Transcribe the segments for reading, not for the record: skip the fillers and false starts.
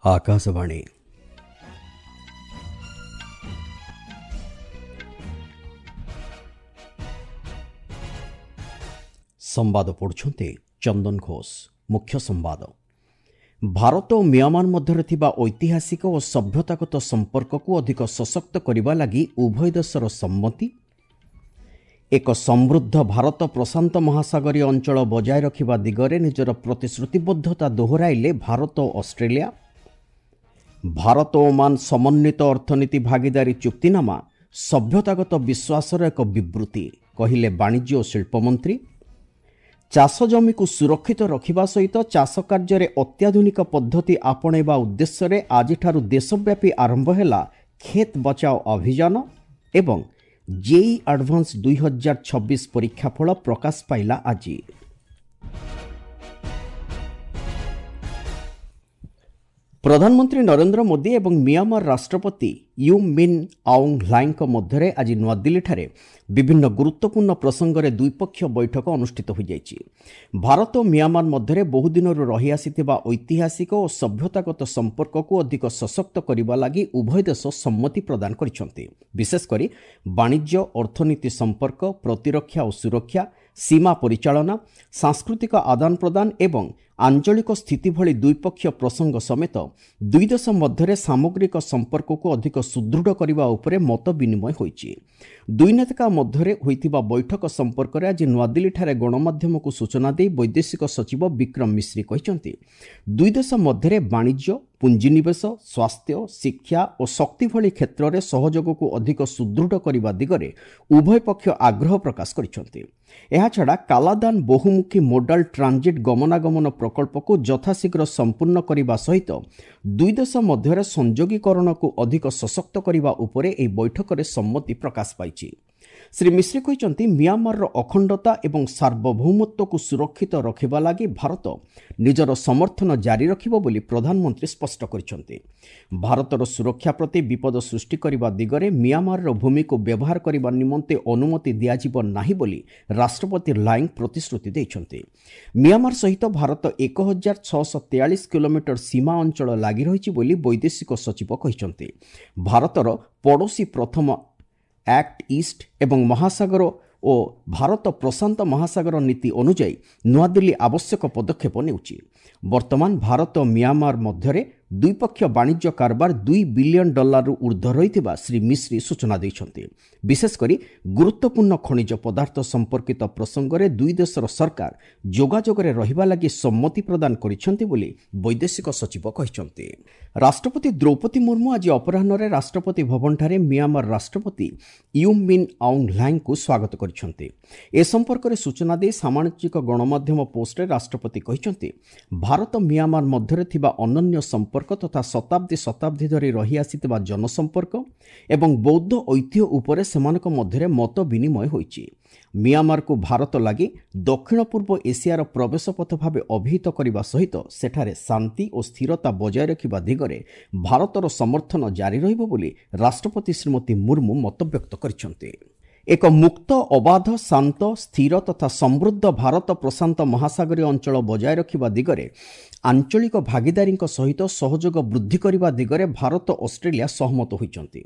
ଆକାଶବାଣୀ। ସମ୍ବାଦ ପଢ଼ୁଛନ୍ତି ଚନ୍ଦନ ଘୋଷ। ମୁଖ୍ୟ ସମ୍ବାଦ। ଭାରତ ଓ ମିଆଁମାର ମଧ୍ୟରେ ଥିବା ଐତିହାସିକ ଓ ସଭ୍ୟତାଗତ ସମ୍ପର୍କକୁ ଅଧିକ ସଶକ୍ତ କରିବା ଲାଗି ଉଭୟ ଦେଶର ସମ୍ମତି। ଏକ ସମୃଦ୍ଧ ଭାରତ ପ୍ରଶାନ୍ତ ମହାସାଗରୀୟ ଅଞ୍ଚଳ ବଜାୟ ରଖିବା ଦିଗରେ ନିଜର ପ୍ରତିଶ୍ରୁତିବଦ୍ଧତା ଦୋହରାଇଲେ ଭାରତ ଓ ଅଷ୍ଟ୍ରେଲିଆ। ଭାରତ ଓମାନ ସମନ୍ୱିତ ଅର୍ଥନୀତି ଭାଗିଦାରୀ ଚୁକ୍ତିନାମା ସଭ୍ୟତାଗତ ବିଶ୍ୱାସର ଏକ ବିବୃତ୍ତି, କହିଲେ ବାଣିଜ୍ୟ ଓ ଶିଳ୍ପମନ୍ତ୍ରୀ। ଚାଷ ଜମିକୁ ସୁରକ୍ଷିତ ରଖିବା ସହିତ ଚାଷ କାର୍ଯ୍ୟରେ ଅତ୍ୟାଧୁନିକ ପଦ୍ଧତି ଆପଣେଇବା ଉଦ୍ଦେଶ୍ୟରେ ଆଜିଠାରୁ ଦେଶବ୍ୟାପୀ ଆରମ୍ଭ ହେଲା ଖେତ୍ ବଚାଓ ଅଭିଯାନ। ଏବଂ ଜେଇଇ ଆଡଭାନ୍ସ 2026 ପରୀକ୍ଷାଫଳ ପ୍ରକାଶ ପାଇଲା ଆଜି। ପ୍ରଧାନମନ୍ତ୍ରୀ ନରେନ୍ଦ୍ର ମୋଦି ଏବଂ ମିଆଁମାର ରାଷ୍ଟ୍ରପତି you Min Aung ହ୍ଲାଇଙ୍କ ମଧ୍ୟରେ ଆଜି ନୂଆଦିଲ୍ଲୀଠାରେ ବିଭିନ୍ନ ଗୁରୁତ୍ୱପୂର୍ଣ୍ଣ ପ୍ରସଙ୍ଗରେ ଦ୍ୱିପକ୍ଷୀୟ ବୈଠକ ଅନୁଷ୍ଠିତ ହୋଇଯାଇଛି। ଭାରତ ଓ ମିଆଁମାର ମଧ୍ୟରେ ବହୁଦିନରୁ ରହିଆସିଥିବା ଐତିହାସିକ ଓ ସଭ୍ୟତାଗତ ସମ୍ପର୍କକୁ ଅଧିକ ସଶକ୍ତ କରିବା ଲାଗି ଉଭୟ ଦେଶ ସମ୍ମତି ପ୍ରଦାନ କରିଛନ୍ତି। ବିଶେଷକରି ବାଣିଜ୍ୟ, ଅର୍ଥନୀତି ସମ୍ପର୍କ, ପ୍ରତିରକ୍ଷା ଓ ସୁରକ୍ଷା, ସୀମା ପରିଚାଳନା, ସାଂସ୍କୃତିକ ଆଦାନ ପ୍ରଦାନ ଏବଂ ଆଞ୍ଚଳିକ ସ୍ଥିତି ଭଳି ଦ୍ୱିପକ୍ଷୀୟ ପ୍ରସଙ୍ଗ ସମେତ ଦୁଇ ଦେଶ ମଧ୍ୟରେ ସାମଗ୍ରିକ ସମ୍ପର୍କକୁ ଅଧିକ ସୁଦୃଢ଼ କରିବା ଉପରେ ମତ ବିନିମୟ ହୋଇଛି। ଦୁଇ ନେତାଙ୍କ ମଧ୍ୟରେ ହୋଇଥିବା ବୈଠକ ସମ୍ପର୍କରେ ଆଜି ନୂଆଦିଲ୍ଲୀଠାରେ ଗଣମାଧ୍ୟମକୁ ସୂଚନା ଦେଇ ବୈଦେଶିକ ସଚିବ ବିକ୍ରମ ମିଶ୍ରି କହିଛନ୍ତି, ଦୁଇ ଦେଶ ମଧ୍ୟରେ ବାଣିଜ୍ୟ, ପୁଞ୍ଜିନିବେଶ, ସ୍ୱାସ୍ଥ୍ୟ, ଶିକ୍ଷା ଓ ଶକ୍ତି ଭଳି କ୍ଷେତ୍ରରେ ସହଯୋଗକୁ ଅଧିକ ସୁଦୃଢ଼ କରିବା ଦିଗରେ ଉଭୟ ପକ୍ଷ ଆଗ୍ରହ ପ୍ରକାଶ କରିଛନ୍ତି। ଏହାଛଡ଼ା କାଲାଦାନ ବହୁମୁଖୀ ମୋଡାଲ ଟ୍ରାଞ୍ଜିଟ୍ ଗମନାଗମନ ପ୍ରକଳ୍ପକୁ ଯଥାଶୀଘ୍ର ସମ୍ପୂର୍ଣ୍ଣ କରିବା ସହିତ ଦୁଇ ଦେଶ ମଧ୍ୟରେ ସଂଯୋଗୀକରଣକୁ ଅଧିକ ସଶକ୍ତ କରିବା ଉପରେ ଏହି ବୈଠକରେ ସମ୍ମତି ପ୍ରକାଶ ପାଇଛି। ଶ୍ରୀ ମିଶ୍ରି କହିଛନ୍ତି, ମିଆଁମାରର ଅଖଣ୍ଡତା ଏବଂ ସାର୍ବଭୌମତ୍ୱକୁ ସୁରକ୍ଷିତ ରଖିବା ଲାଗି ଭାରତ ନିଜର ସମର୍ଥନ ଜାରି ରଖିବ ବୋଲି ପ୍ରଧାନମନ୍ତ୍ରୀ ସ୍ପଷ୍ଟ କରିଛନ୍ତି। ଭାରତର ସୁରକ୍ଷା ପ୍ରତି ବିପଦ ସୃଷ୍ଟି କରିବା ଦିଗରେ ମିଆଁମାରର ଭୂମିକୁ ବ୍ୟବହାର କରିବା ନିମନ୍ତେ ଅନୁମତି ଦିଆଯିବ ନାହିଁ ବୋଲି ରାଷ୍ଟ୍ରପତି ଲାଇଙ୍ଗ ପ୍ରତିଶ୍ରୁତି ଦେଇଛନ୍ତି। ମିଆଁମାର ସହିତ ଭାରତ 1643 କିଲୋମିଟର ସୀମା ଅଞ୍ଚଳ ଲାଗି ରହିଛି ବୋଲି ବୈଦେଶିକ ସଚିବ କହିଛନ୍ତି। ଭାରତର ପଡ଼ୋଶୀ ପ୍ରଥମ, ଆକ୍ଟ ଇଷ୍ଟ ଏବଂ ମହାସାଗର ଓ ଭାରତ ପ୍ରଶାନ୍ତ ମହାସାଗର ନୀତି ଅନୁଯାୟୀ ନୂଆଦିଲ୍ଲୀ ଆବଶ୍ୟକ ପଦକ୍ଷେପ ନେଉଛି। ବର୍ତ୍ତମାନ ଭାରତ ମିଆଁମାର ମଧ୍ୟରେ ଦ୍ୱିପକ୍ଷୀୟ ବାଣିଜ୍ୟ କାରବାର 2 ବିଲିୟନ ଡଲାରରୁ ଉର୍ଦ୍ଧ୍ୱ ରହିଥିବା ଶ୍ରୀ ମିଶ୍ରି ସୂଚନା ଦେଇଛନ୍ତି। ବିଶେଷକରି ଗୁରୁତ୍ୱପୂର୍ଣ୍ଣ ଖଣିଜ ପଦାର୍ଥ ସମ୍ପର୍କିତ ପ୍ରସଙ୍ଗରେ ଦୁଇ ଦେଶର ସରକାର ଯୋଗାଯୋଗରେ ରହିବା ଲାଗି ସମ୍ମତି ପ୍ରଦାନ କରିଛନ୍ତି ବୋଲି ବୈଦେଶିକ ସଚିବ କହିଛନ୍ତି। ରାଷ୍ଟ୍ରପତି ଦ୍ରୌପଦୀ ମୁର୍ମୁ ଆଜି ଅପରାହ୍ନରେ ରାଷ୍ଟ୍ରପତି ଭବନଠାରେ ମିଆଁମାର ରାଷ୍ଟ୍ରପତି you Min Aung ହ୍ଲାଇଙ୍କୁ ସ୍ୱାଗତ କରିଛନ୍ତି। ଏ ସମ୍ପର୍କରେ ସୂଚନା ଦେଇ ସାମାଜିକ ଗଣମାଧ୍ୟମ ପୋଷ୍ଟରେ ରାଷ୍ଟ୍ରପତି କହିଛନ୍ତି, ଭାରତ ମିଆଁମାର ମଧ୍ୟରେ ଥିବା ଅନନ୍ୟ ସମ୍ପର୍କ ତଥା ଶତାବ୍ଦୀ ଶତାବ୍ଦୀ ଧରି ରହିଆସିଥିବା ଜନସମ୍ପର୍କ ଏବଂ ବୌଦ୍ଧ ଐତିହ୍ୟ ଉପରେ ସେମାନଙ୍କ ମଧ୍ୟରେ ମତ ବିନିମୟ ହୋଇଛି। ମିଆଁମାରକୁ ଭାରତ ଲାଗି ଦକ୍ଷିଣ ପୂର୍ବ ଏସିଆର ପ୍ରବେଶ ପଥ ଭାବେ ଅଭିହିତ କରିବା ସହିତ ସେଠାରେ ଶାନ୍ତି ଓ ସ୍ଥିରତା ବଜାୟ ରଖିବା ଦିଗରେ ଭାରତର ସମର୍ଥନ ଜାରି ରହିବ ବୋଲି ରାଷ୍ଟ୍ରପତି ଶ୍ରୀମତୀ ମୁର୍ମୁ ମତବ୍ୟକ୍ତ କରିଛନ୍ତି। ଏକ ମୁକ୍ତ, ଅବାଧ, ଶାନ୍ତ, ସ୍ଥିର ତଥା ସମୃଦ୍ଧ ଭାରତ ପ୍ରଶାନ୍ତ ମହାସାଗରୀୟ ଅଞ୍ଚଳ ବଜାୟ ରଖିବା ଦିଗରେ ଆଞ୍ଚଳିକ ଭାଗିଦାରୀଙ୍କ ସହିତ ସହଯୋଗ ବୃଦ୍ଧି କରିବା ଦିଗରେ ଭାରତ ଅଷ୍ଟ୍ରେଲିଆ ସହମତ ହୋଇଛନ୍ତି।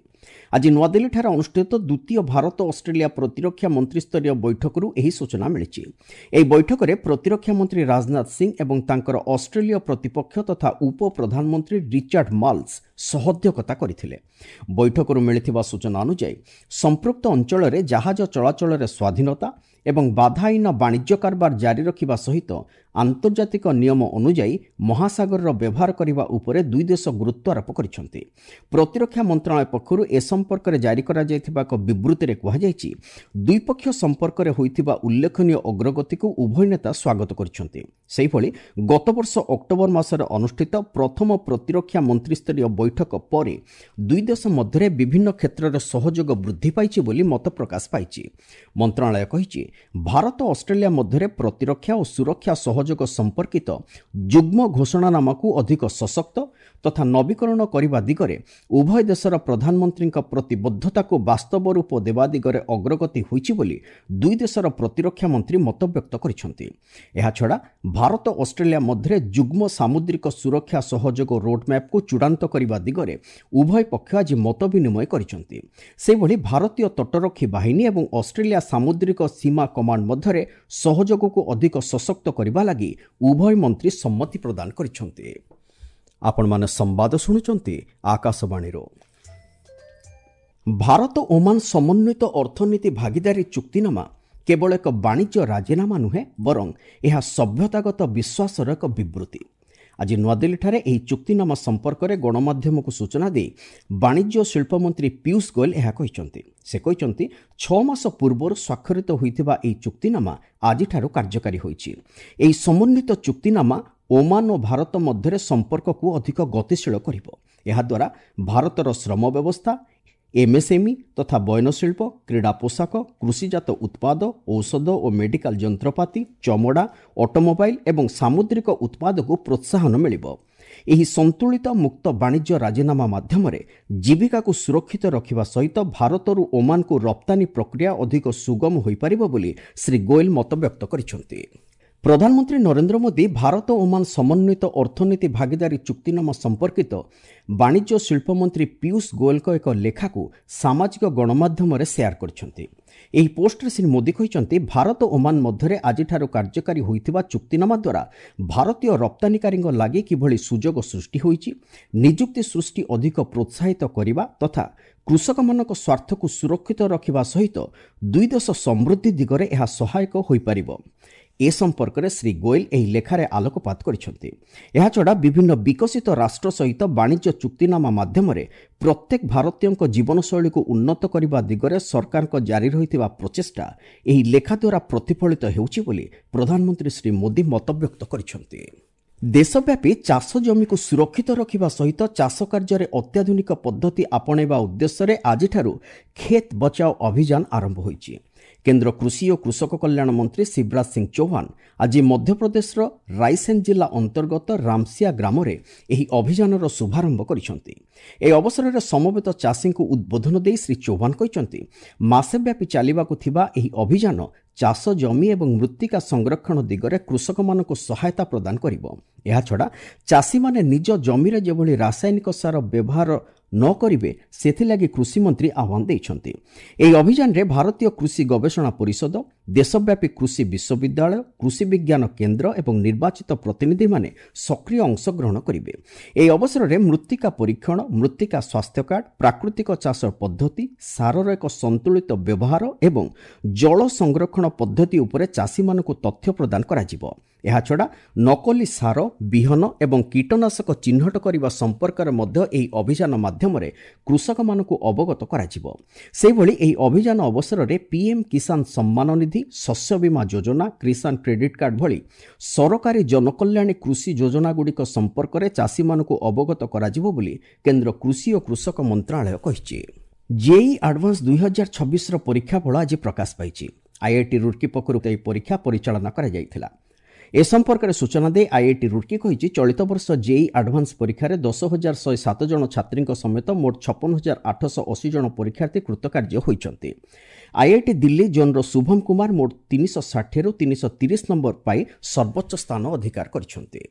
ଆଜି ନୂଆଦିଲ୍ଲୀଠାରେ ଅନୁଷ୍ଠିତ ଦ୍ୱିତୀୟ ଭାରତ ଅଷ୍ଟ୍ରେଲିଆ ପ୍ରତିରକ୍ଷା ମନ୍ତ୍ରିସ୍ତରୀୟ ବୈଠକରୁ ଏହି ସୂଚନା ମିଳିଛି। ଏହି ବୈଠକରେ ପ୍ରତିରକ୍ଷା ମନ୍ତ୍ରୀ ରାଜନାଥ ସିଂ ଏବଂ ତାଙ୍କର ଅଷ୍ଟ୍ରେଲୀୟ ପ୍ରତିପକ୍ଷ ତଥା ଉପପ୍ରଧାନମନ୍ତ୍ରୀ ରିଚାର୍ଡ ମାଲ୍ସ ସହଅଧ୍ୟକ୍ଷତା କରିଥିଲେ। ବୈଠକରୁ ମିଳିଥିବା ସୂଚନା ଅନୁଯାୟୀ ସମ୍ପୃକ୍ତ ଅଞ୍ଚଳରେ ଜାହାଜ ଚଳାଚଳରେ ସ୍ୱାଧୀନତା ଏବଂ ବାଧାହୀନ ବାଣିଜ୍ୟ କାରବାର ଜାରି ରଖିବା ସହିତ ଆନ୍ତର୍ଜାତିକ ନିୟମ ଅନୁଯାୟୀ ମହାସାଗରର ବ୍ୟବହାର କରିବା ଉପରେ ଦୁଇ ଦେଶ ଗୁରୁତ୍ୱାରୋପ କରିଛନ୍ତି। ପ୍ରତିରକ୍ଷା ମନ୍ତ୍ରଣାଳୟ ପକ୍ଷରୁ ଏ ସମ୍ପର୍କରେ ଜାରି କରାଯାଇଥିବା ଏକ ବିବୃତ୍ତିରେ କୁହାଯାଇଛି, ଦ୍ୱିପକ୍ଷୀୟ ସମ୍ପର୍କରେ ହୋଇଥିବା ଉଲ୍ଲେଖନୀୟ ଅଗ୍ରଗତିକୁ ଉଭୟ ନେତା ସ୍ୱାଗତ କରିଛନ୍ତି। ସେହିଭଳି ଗତବର୍ଷ ଅକ୍ଟୋବର ମାସରେ ଅନୁଷ୍ଠିତ ପ୍ରଥମ ପ୍ରତିରକ୍ଷା ମନ୍ତ୍ରିସ୍ତରୀୟ ବୈଠକ ପରେ ଦୁଇ ଦେଶ ମଧ୍ୟରେ ବିଭିନ୍ନ କ୍ଷେତ୍ରରେ ସହଯୋଗ ବୃଦ୍ଧି ପାଇଛି ବୋଲି ମତ ପ୍ରକାଶ ପାଇଛି। ମନ୍ତ୍ରଣାଳୟ କହିଛି, ଭାରତ ଅଷ୍ଟ୍ରେଲିଆ ମଧ୍ୟରେ ପ୍ରତିରକ୍ଷା ଓ ସୁରକ୍ଷା ସହଯୋଗ ସମ୍ପର୍କିତ ଯୁଗ୍ମ ଘୋଷଣାନାମାକୁ ଅଧିକ ସଶକ୍ତ ତଥା ନବୀକରଣ କରିବା ଦିଗରେ ଉଭୟ ଦେଶର ପ୍ରଧାନମନ୍ତ୍ରୀଙ୍କ ପ୍ରତିବଦ୍ଧତାକୁ ବାସ୍ତବ ରୂପ ଦେବା ଦିଗରେ ଅଗ୍ରଗତି ହୋଇଛି ବୋଲି ଦୁଇ ଦେଶର ପ୍ରତିରକ୍ଷା ମନ୍ତ୍ରୀ ମତବ୍ୟକ୍ତ କରିଛନ୍ତି। ଏହାଛଡ଼ା ଭାରତ ଅଷ୍ଟ୍ରେଲିଆ ମଧ୍ୟରେ ଯୁଗ୍ମ ସାମୁଦ୍ରିକ ସୁରକ୍ଷା ସହଯୋଗ ରୋଡ୍ମ୍ୟାପ୍କୁ ଚୂଡ଼ାନ୍ତ କରିବା ଦିଗରେ ଉଭୟ ପକ୍ଷ ଆଜି ମତ ବିନିମୟ କରିଛନ୍ତି। ସେହିଭଳି ଭାରତୀୟ ତଟରକ୍ଷୀ ବାହିନୀ ଏବଂ ଅଷ୍ଟ୍ରେଲିଆ ସାମୁଦ୍ରିକ ସୀମା କମାଣ୍ଡ ମଧ୍ୟରେ ସହଯୋଗକୁ ଅଧିକ ସଶକ୍ତ କରିବା ଲାଗି ଉଭୟ ମନ୍ତ୍ରୀ ସମ୍ମତି ପ୍ରଦାନ କରିଛନ୍ତି। ଆପଣମାନେ ସମ୍ବାଦ ଶୁଣୁଛନ୍ତି ଆକାଶବାଣୀରୁ। ଭାରତ ଓମାନ ସମନ୍ୱିତ ଅର୍ଥନୀତି ଭାଗିଦାରୀ ଚୁକ୍ତିନାମା କେବଳ ଏକ ବାଣିଜ୍ୟ ରାଜିନାମା ନୁହେଁ, ବରଂ ଏହା ସଭ୍ୟତାଗତ ବିଶ୍ୱାସର ଏକ ବିବୃତ୍ତି। ଆଜି ନୂଆଦିଲ୍ଲୀଠାରେ ଏହି ଚୁକ୍ତିନାମା ସମ୍ପର୍କରେ ଗଣମାଧ୍ୟମକୁ ସୂଚନା ଦେଇ ବାଣିଜ୍ୟ ଓ ଶିଳ୍ପମନ୍ତ୍ରୀ ପୀୟୁଷ ଗୋଏଲ ଏହା କହିଛନ୍ତି। ସେ କହିଛନ୍ତି, 6 ମାସ ପୂର୍ବରୁ ସ୍ୱାକ୍ଷରିତ ହୋଇଥିବା ଏହି ଚୁକ୍ତିନାମା ଆଜିଠାରୁ କାର୍ଯ୍ୟକାରୀ ହୋଇଛି। ଏହି ସମନ୍ୱିତ ଚୁକ୍ତିନାମା ଓମାନ ଓ ଭାରତ ମଧ୍ୟରେ ସମ୍ପର୍କକୁ ଅଧିକ ଗତିଶୀଳ କରିବ। ଏହାଦ୍ୱାରା ଭାରତର ଶ୍ରମ ବ୍ୟବସ୍ଥା, ଏମ୍ଏସ୍ଏମ୍ଇ ତଥା ବୟନଶିଳ୍ପ, କ୍ରୀଡ଼ା ପୋଷାକ, କୃଷିଜାତ ଉତ୍ପାଦ, ଔଷଧ ଓ ମେଡିକାଲ ଯନ୍ତ୍ରପାତି, ଚମଡ଼ା, ଅଟୋମୋବାଇଲ ଏବଂ ସାମୁଦ୍ରିକ ଉତ୍ପାଦକୁ ପ୍ରୋତ୍ସାହନ ମିଳିବ। ଏହି ସନ୍ତୁଳିତ ମୁକ୍ତ ବାଣିଜ୍ୟ ରାଜିନାମା ମାଧ୍ୟମରେ ଜୀବିକାକୁ ସୁରକ୍ଷିତ ରଖିବା ସହିତ ଭାରତରୁ ଓମାନକୁ ରପ୍ତାନୀ ପ୍ରକ୍ରିୟା ଅଧିକ ସୁଗମ ହୋଇପାରିବ ବୋଲି ଶ୍ରୀ ଗୋଏଲ ମତବ୍ୟକ୍ତ କରିଛନ୍ତି। ପ୍ରଧାନମନ୍ତ୍ରୀ ନରେନ୍ଦ୍ର ମୋଦି ଭାରତ ଓମାନ ସମନ୍ୱିତ ଅର୍ଥନୀତି ଭାଗିଦାରୀ ଚୁକ୍ତିନାମା ସମ୍ପର୍କିତ ବାଣିଜ୍ୟ ଶିଳ୍ପମନ୍ତ୍ରୀ ପୀୟୁଷ ଗୋଏଲଙ୍କ ଏକ ଲେଖାକୁ ସାମାଜିକ ଗଣମାଧ୍ୟମରେ ସେୟାର କରିଛନ୍ତି। ଏହି ପୋଷ୍ଟରେ ଶ୍ରୀ ମୋଦି କହିଛନ୍ତି, ଭାରତ ଓମାନ ମଧ୍ୟରେ ଆଜିଠାରୁ କାର୍ଯ୍ୟକାରୀ ହୋଇଥିବା ଚୁକ୍ତିନାମା ଦ୍ୱାରା ଭାରତୀୟ ରପ୍ତାନୀକାରୀଙ୍କ ଲାଗି କିଭଳି ସୁଯୋଗ ସୃଷ୍ଟି ହୋଇଛି, ନିଯୁକ୍ତି ସୃଷ୍ଟି ଅଧିକ ପ୍ରୋତ୍ସାହିତ କରିବା ତଥା କୃଷକମାନଙ୍କ ସ୍ୱାର୍ଥକୁ ସୁରକ୍ଷିତ ରଖିବା ସହିତ ଦୁଇ ଦେଶ ସମୃଦ୍ଧି ଦିଗରେ ଏହା ସହାୟକ ହୋଇପାରିବ। ଏ ସମ୍ପର୍କରେ ଶ୍ରୀ ଗୋଏଲ ଏହି ଲେଖାରେ ଆଲୋକପାତ କରିଛନ୍ତି। ଏହାଛଡ଼ା ବିଭିନ୍ନ ବିକଶିତ ରାଷ୍ଟ୍ର ସହିତ ବାଣିଜ୍ୟ ଚୁକ୍ତିନାମା ମାଧ୍ୟମରେ ପ୍ରତ୍ୟେକ ଭାରତୀୟଙ୍କ ଜୀବନଶୈଳୀକୁ ଉନ୍ନତ କରିବା ଦିଗରେ ସରକାରଙ୍କ ଜାରି ରହିଥିବା ପ୍ରଚେଷ୍ଟା ଏହି ଲେଖା ଦ୍ୱାରା ପ୍ରତିଫଳିତ ହେଉଛି ବୋଲି ପ୍ରଧାନମନ୍ତ୍ରୀ ଶ୍ରୀ ମୋଦି ମତବ୍ୟକ୍ତ କରିଛନ୍ତି। ଦେଶବ୍ୟାପୀ ଚାଷ ଜମିକୁ ସୁରକ୍ଷିତ ରଖିବା ସହିତ ଚାଷ କାର୍ଯ୍ୟରେ ଅତ୍ୟାଧୁନିକ ପଦ୍ଧତି ଆପଣେଇବା ଉଦ୍ଦେଶ୍ୟରେ ଆଜିଠାରୁ ଖେତ୍ ବଚାଓ ଅଭିଯାନ ଆରମ୍ଭ ହୋଇଛି। କେନ୍ଦ୍ର କୃଷି ଓ କୃଷକ କଲ୍ୟାଣ ମନ୍ତ୍ରୀ ଶିବରାଜ ସିଂ ଚୌହାନ ଆଜି ମଧ୍ୟପ୍ରଦେଶର ରାଇସେନ୍ ଜିଲ୍ଲା ଅନ୍ତର୍ଗତ ରାମସିଆ ଗ୍ରାମରେ ଏହି ଅଭିଯାନର ଶୁଭାରମ୍ଭ କରିଛନ୍ତି। ଏହି ଅବସରରେ ସମବେତ ଚାଷୀଙ୍କୁ ଉଦ୍ବୋଧନ ଦେଇ ଶ୍ରୀ ଚୌହାନ କହିଛନ୍ତି, ମାସେବ୍ୟାପୀ ଚାଲିବାକୁ ଥିବା ଏହି ଅଭିଯାନ ଚାଷ ଜମି ଏବଂ ମୃତ୍ତିକା ସଂରକ୍ଷଣ ଦିଗରେ କୃଷକମାନଙ୍କୁ ସହାୟତା ପ୍ରଦାନ କରିବ। ଏହାଛଡ଼ା ଚାଷୀମାନେ ନିଜ ଜମିରେ ଯେଭଳି ରାସାୟନିକ ସାର ବ୍ୟବହାର ନ କରିବେ ସେଥିଲାଗି କୃଷିମନ୍ତ୍ରୀ ଆହ୍ୱାନ ଦେଇଛନ୍ତି। ଏହି ଅଭିଯାନରେ ଭାରତୀୟ କୃଷି ଗବେଷଣା ପରିଷଦ, ଦେଶବ୍ୟାପୀ କୃଷି ବିଶ୍ୱବିଦ୍ୟାଳୟ, କୃଷି ବିଜ୍ଞାନ କେନ୍ଦ୍ର ଏବଂ ନିର୍ବାଚିତ ପ୍ରତିନିଧିମାନେ ସକ୍ରିୟ ଅଂଶଗ୍ରହଣ କରିବେ। ଏହି ଅବସରରେ ମୃତ୍ତିକା ପରୀକ୍ଷଣ, ମୃତ୍ତିକା ସ୍ୱାସ୍ଥ୍ୟ କାର୍ଡ, ପ୍ରାକୃତିକ ଚାଷ ପଦ୍ଧତି, ସାରର ଏକ ସନ୍ତୁଳିତ ବ୍ୟବହାର ଏବଂ ଜଳ ସଂରକ୍ଷଣ ପଦ୍ଧତି ଉପରେ ଚାଷୀମାନଙ୍କୁ ତଥ୍ୟ ପ୍ରଦାନ କରାଯିବ। ଏହାଛଡ଼ା ନକଲି ସାର, ବିହନ ଏବଂ କୀଟନାଶକ ଚିହ୍ନଟ କରିବା ସମ୍ପର୍କରେ ମଧ୍ୟ ଏହି ଅଭିଯାନ ମାଧ୍ୟମରେ କୃଷକମାନଙ୍କୁ ଅବଗତ କରାଯିବ। ସେହିଭଳି ଏହି ଅଭିଯାନ ଅବସରରେ ପିଏମ୍ କିଷାନ ସମ୍ମାନ ନିଧି, ଶସ୍ୟ ବୀମା ଯୋଜନା, କିଷାନ କ୍ରେଡିଟ୍ କାର୍ଡ ଭଳି ସରକାରୀ ଜନକଲ୍ୟାଣୀ କୃଷି ଯୋଜନାଗୁଡ଼ିକ ସମ୍ପର୍କରେ ଚାଷୀମାନଙ୍କୁ ଅବଗତ କରାଯିବ ବୋଲି କେନ୍ଦ୍ର କୃଷି ଓ କୃଷକ ମନ୍ତ୍ରଣାଳୟ କହିଛି। ଜେଇଇ ଆଡଭାନ୍ସ 2026ର ପରୀକ୍ଷାଫଳ ଆଜି ପ୍ରକାଶ ପାଇଛି। ଆଇଆଇଟି ରୁର୍କି ପକ୍ଷରୁ ଏହି ପରୀକ୍ଷା ପରିଚାଳନା କରାଯାଇଥିଲା। ଏ ସମ୍ପର୍କରେ ସୂଚନା ଦେଇ ଆଇଆଇଟି ରୁର୍କି କହିଛି, ଚଳିତ ବର୍ଷ ଜେଇଇ ଆଡଭାନ୍ସ ପରୀକ୍ଷାରେ 10,107 ଜଣ ଛାତ୍ରୀଙ୍କ ସମେତ ମୋଟ 56,880 ଜଣ ପରୀକ୍ଷାର୍ଥୀ କୃତକାର୍ଯ୍ୟ ହୋଇଛନ୍ତି। ଆଇଆଇଟି ଦିଲ୍ଲୀ ଜୋନ୍ର ଶୁଭମ କୁମାର ମୋଟ 360ରୁ 330 ନମ୍ବର ପାଇ ସର୍ବୋଚ୍ଚ ସ୍ଥାନ ଅଧିକାର କରିଛନ୍ତି।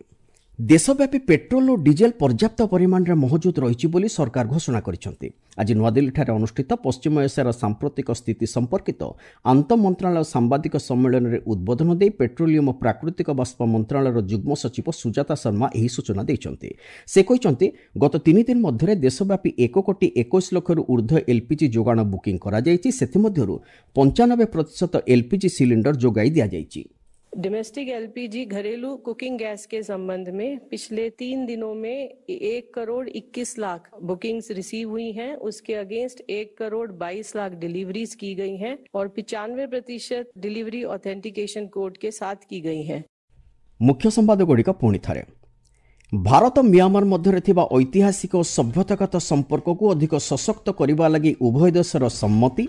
ଦେଶବ୍ୟାପୀ ପେଟ୍ରୋଲ ଓ ଡିଜେଲ ପର୍ଯ୍ୟାପ୍ତ ପରିମାଣରେ ମହଜୁଦ ରହିଛି ବୋଲି ସରକାର ଘୋଷଣା କରିଛନ୍ତି। ଆଜି ନୂଆଦିଲ୍ଲୀଠାରେ ଅନୁଷ୍ଠିତ ପଶ୍ଚିମ ଏସିଆର ସାମ୍ପ୍ରତିକ ସ୍ଥିତି ସମ୍ପର୍କିତ ଆନ୍ତଃ ମନ୍ତ୍ରଣାଳୟ ସାମ୍ବାଦିକ ସମ୍ମିଳନୀରେ ଉଦ୍ବୋଧନ ଦେଇ ପେଟ୍ରୋଲିୟମ ଓ ପ୍ରାକୃତିକ ବାଷ୍ପ ମନ୍ତ୍ରଣାଳୟର ଯୁଗ୍ମ ସଚିବ ସୁଜାତା ଶର୍ମା ଏହି ସୂଚନା ଦେଇଛନ୍ତି। ସେ କହିଛନ୍ତି, ଗତ 3 ଦିନ ମଧ୍ୟରେ ଦେଶବ୍ୟାପୀ 1,21,00,000ରୁ ଉର୍ଦ୍ଧ୍ୱ ଏଲ୍ପିଜି ଯୋଗାଣ ବୁକିଂ କରାଯାଇଛି। ସେଥିମଧ୍ୟରୁ 95% ଏଲ୍ପିଜି ସିଲିଣ୍ଡର ଯୋଗାଇ ଦିଆଯାଇଛି। डोमेस्टिक एलपीजी घरेलू कुकिंग गैस के संबंध में पिछले 3 दिनों में 1,21,00,000 बुकिंग्स रिसीव हुई हैं। उसके अगेंस्ट 1,22,00,000 डिलीवरीज की गई हैं और 95% डिलीवरी ऑथेंटिकेशन कोड के साथ की गई हैं। ମୁଖ୍ୟ ସମ୍ବାଦଗୁଡ଼ିକ ପୁଣି ଥରେ। ଭାରତ ମିଆଁମାର ମଧ୍ୟରେ ଥିବା ଐତିହାସିକ ଓ ସଭ୍ୟତାଗତ ସମ୍ପର୍କକୁ ଅଧିକ ସଶକ୍ତ କରିବା ଲାଗି ଉଭୟ ଦେଶର ସମ୍ମତି।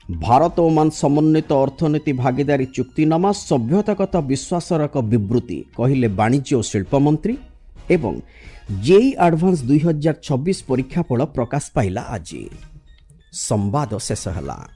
ଭାରତ ଓମାନ ସମନ୍ୱିତ ଅର୍ଥନୀତି ଭାଗିଦାରୀ ଚୁକ୍ତିନାମା ସଭ୍ୟତାଗତ ବିଶ୍ୱାସର ଏକ ବିବୃତ୍ତି, କହିଲେ ବାଣିଜ୍ୟ ଓ ଶିଳ୍ପମନ୍ତ୍ରୀ। ଏବଂ ଜେଇଇ ଆଡଭାନ୍ସ 2026 ପରୀକ୍ଷାଫଳ ପ୍ରକାଶ ପାଇଲା ଆଜି। ସମ୍ବାଦ ଶେଷ ହେଲା।